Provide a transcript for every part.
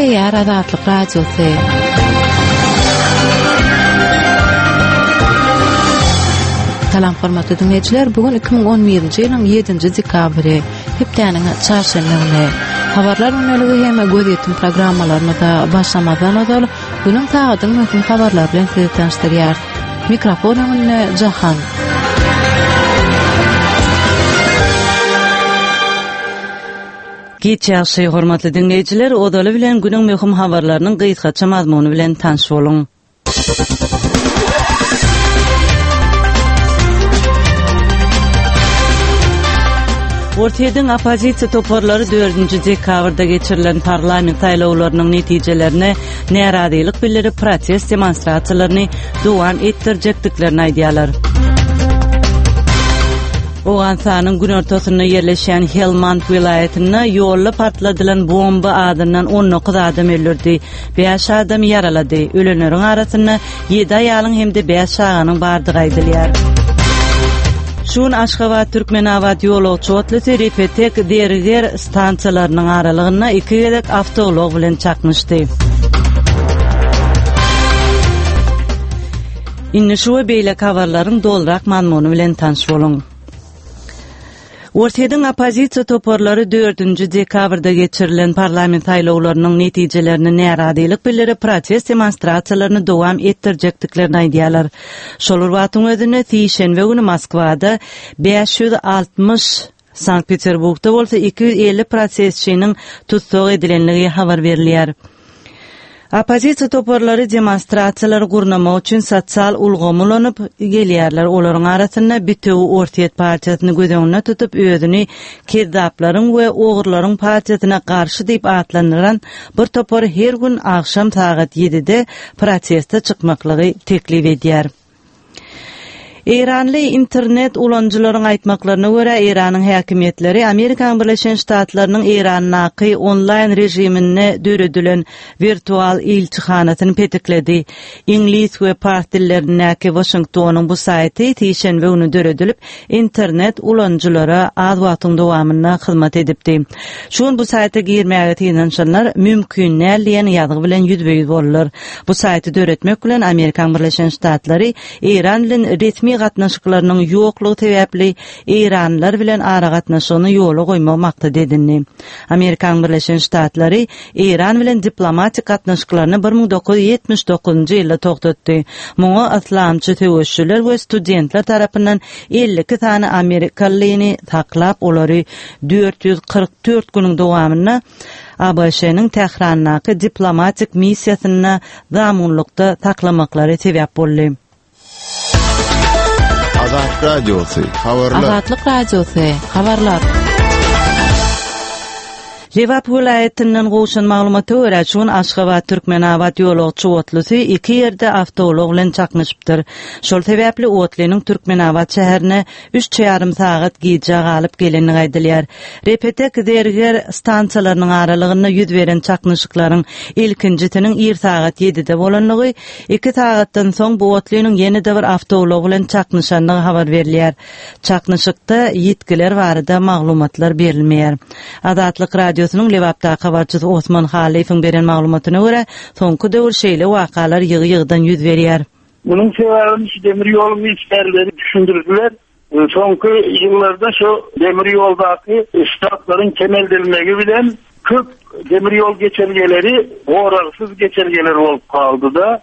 Gepleýär Azatlyk Radiosy. Salam hormatly diňleýjiler, bu gün 2011-nji ýylyň 7-nji dekabry, hepdäniň çarşenbe güni. Habarlar gündeligi hem gözýetim programmalarymyza başlamazdan ozal, günüň sagadyň möhüm habarlary bilen sizi tanyşdyrýarys. Mikrofon öňünde Jahan. Giç ýagşy, hormatly diňleýjiler, ozaly bilen günüň möhüm habarlarynyň gysgaça mazmuny bilen tanyş boluň. Orsýetiň oppozisiýa toparlary dördünji dekabrda geçirilen parlament saýlawlarynyň netijelerine närazylyk bildirip, protest demonstrasiýalaryny dowam etdirjekdiklerini aýdýarlar. Owganystanyň günortasynda ýerleşýän Helmand welaýatynda ýolda partladylan bomba azyndan 19 adam öldürdi, bäş adamy ýaralady. Ölenleriň arasynda ýedi aýalyň hem-de bäş çaganyň bardygy aýdylýar. Şu gün Aşgabat-Türkmenabat ýolagçy otlysy Repetek, Zerger stansiýalarynyň aralygynda iki gezek awtoulag bilen çaknyşdy. Indi şu we beýleki habarlaryň dolurak mazmuny bilen tanyş boluň. Orsýetiň oppozisiýa toparlary dördünji dekabrda geçirilen parlament saýlawlarynyň netijelerine närazylyk bildirip, protest demonstrasiýalaryny dowam etdirjekdiklerini aýdýarlar. Şol bir wagtyň özünde, sişenbe güni Moskwada 560, Sankt-Peterburgda bolsa 250 protestçiniň tussag edilendigi habar berilýär. Oppozisiýa toparlary demonstrasiýalary gurnamak üçin sosial ulgamy ulanyp gelýärler. Olaryň arasynda Bitewi Orsýet partiýasyny göz öňünde tutup, özüni Kezzaplaryň we ogurlaryň partiýasyna garşy diýip atlandyran bir topar her gün agşam sagat ýedide proteste çykmaklygy teklip edýär. Eýranly internet ulanyjylaryň aýtmaklaryna görä, Eýranyň häkimiýetleri Amerikanyň Birleşen Ştatlarynyň Eýrandaky onlaýn režiminde döredilen wirtual ilçihanasyny petikledi. Iňlis we pars dillerindäki Waşingtonyň bu saýty sişenbe güni döredilip, internet ulanyjylara az wagtyň dowamynda hyzmat edipdi. Şu gün bu saýta girmäge synanyşanlar mümkin däl diýen ýazgy bilen ýüzbe-ýüz boldular. Bu saýty döretmek bilen Amerikanyň Birleşen Ştatlary Eýran bilen resmi gatnaşyklarynyň ýoklugy sebäpli eýranlylar bilen aragatnaşygyny ýola goýmagy maksat edindi. Amerikanyň Birleşen Ştatlary Eýran bilen diplomatik gatnaşyklaryny 1979-njy ýylda togtatdy. Muňa yslamçy söweşijiler we studentler tarapyndan 52 sany amerikalyny saklap, olary 444 günüň dowamynda ABŞ-nyň Tährandaky diplomatik missiýasynda zamunlykda saklamaklary sebäp boldy. Azat Radiosy, habarlar. Azatlyk Radiosy, habarlar. Lebap welaýatyndan gowşan maglumata görä, şu gün Aşgabat-Türkmenabat ýolagçy otlysy iki ýerde awtoulag bilen çaknyşypdyr. Şol sebäpli otlynyň Türkmenabat şäherine üç ýarym sagat gijä galyp gelendigi aýdylýar. Repetek, Zerger stansiýalarynyň aralygynda ýüz beren çaknyşyklaryň ilkinjisiniň ir sagat ýedide bolandygy, iki sagatdan soň bu otlynyň ýene-de bir awtoulag bilen çaknyşandygy habar berilýär. Çaknyşykda ýitgiler barada maglumatlar berilmeýär. Azatlyk Radiosynyň Lebapdaky habarçysy Osman Hallyýewiň beren maglumatyna görä, soňky döwür şeýle wakalar ýygy-ýygydan ýüz berýär. Munuň sebäbini şu demir ýoluň işgärleri düşündirdiler. Soňky ýyllarda şu demir ýoldaky ştatlaryň kemeldilmegi bilen köp demir ýol geçelgeleri goragsyz geçelgeler bolup galdy-da.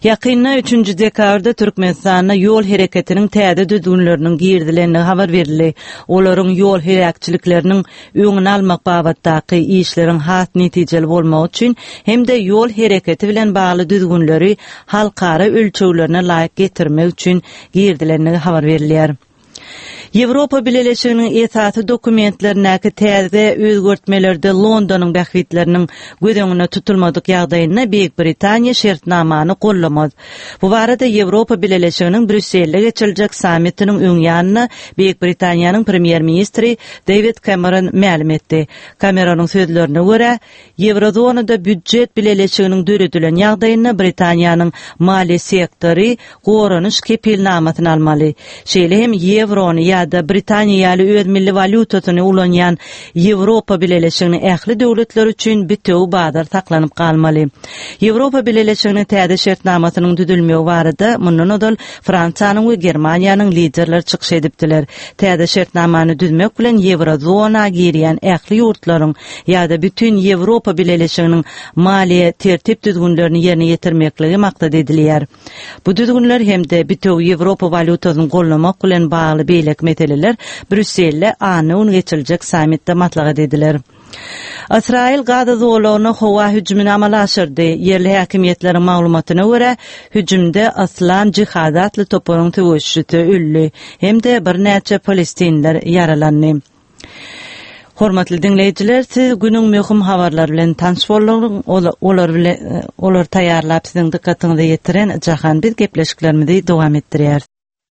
Ýakynda, üçünji dekabrda Türkmenistanda ýol hereketiniň täze düzgünleriniň girizilendigi habar berildi. Olaryň ýol heläkçilikleriniň öňüni almak babatdaky işleriň has netijeli bolmagy üçin hem-de ýol hereketi bilen bagly düzgünleri halkara ölçeglerine laýyk getirmek üçin girizilendigi habar berilýär. Ýewropa Bileleşiginiň esasy dokumentlerindäki täze özgertmelerde Londonyň bähbitleriniň göz öňünde tutulmadyk ýagdaýynda Beýik Britaniýa şertnamany gollamaz. Bu barada Ýewropa Bileleşiginiň Brýusselde geçiriljek sammitiniň öň ýanynda Beýik Britaniýanyň premýer-ministri Dewid Kemeron mälim etdi. Kameronyň sözlerine görä, Ýewrozonada býudjet bileleşiginiň döredilen ýagdaýynda Britaniýanyň maliýe sektory goranyş kepilnamasyny almaly. Şeýle hem ýewrony ýa. ýa-da Britaniýa ýaly öz milli walýutasyny ulanýan Ýewropa Bileleşiginiň ähli döwletleri üçin bitewi bazar saklanyp galmaly. Ýewropa Bileleşiginiň täze şertnamasynyň düzülmegi barada mundan ozal Fransiýanyň we Germaniýanyň liderleri çykyş edipdiler. Täze şertnamany düzmek bilen ýewrozona girýän ähli ýurtlaryň ýa-da bütin Ýewropa Bileleşiginiň maliýe tertip-düzgünlerini ýerine ýetirmekligi maksat edilýär. Bu düzgünler hem-de bitewi Ýewropa walýutasyny goldamak bilen bagly beýleki meseleler Brýusselde anna güni geçiriljek sammitde maslahat ediler. Ysraýyl Gaza zolagyna howa hüjümini amala aşyrdy. Ýerli häkimiýetleriň maglumatyna görä, hüjümde Yslam jihady atly toparyň söweşijisi öldi hem-de birnäçe palestinler ýaralandy. Hormatly diňleýjiler, siz günüň möhüm habarlary bilen tanyş bolduňyz. Olar bilen olary taýýarlap siziň dykgatyňyza ýetiren Jahan biz gepleşiklerimizi dowam etdirýäris.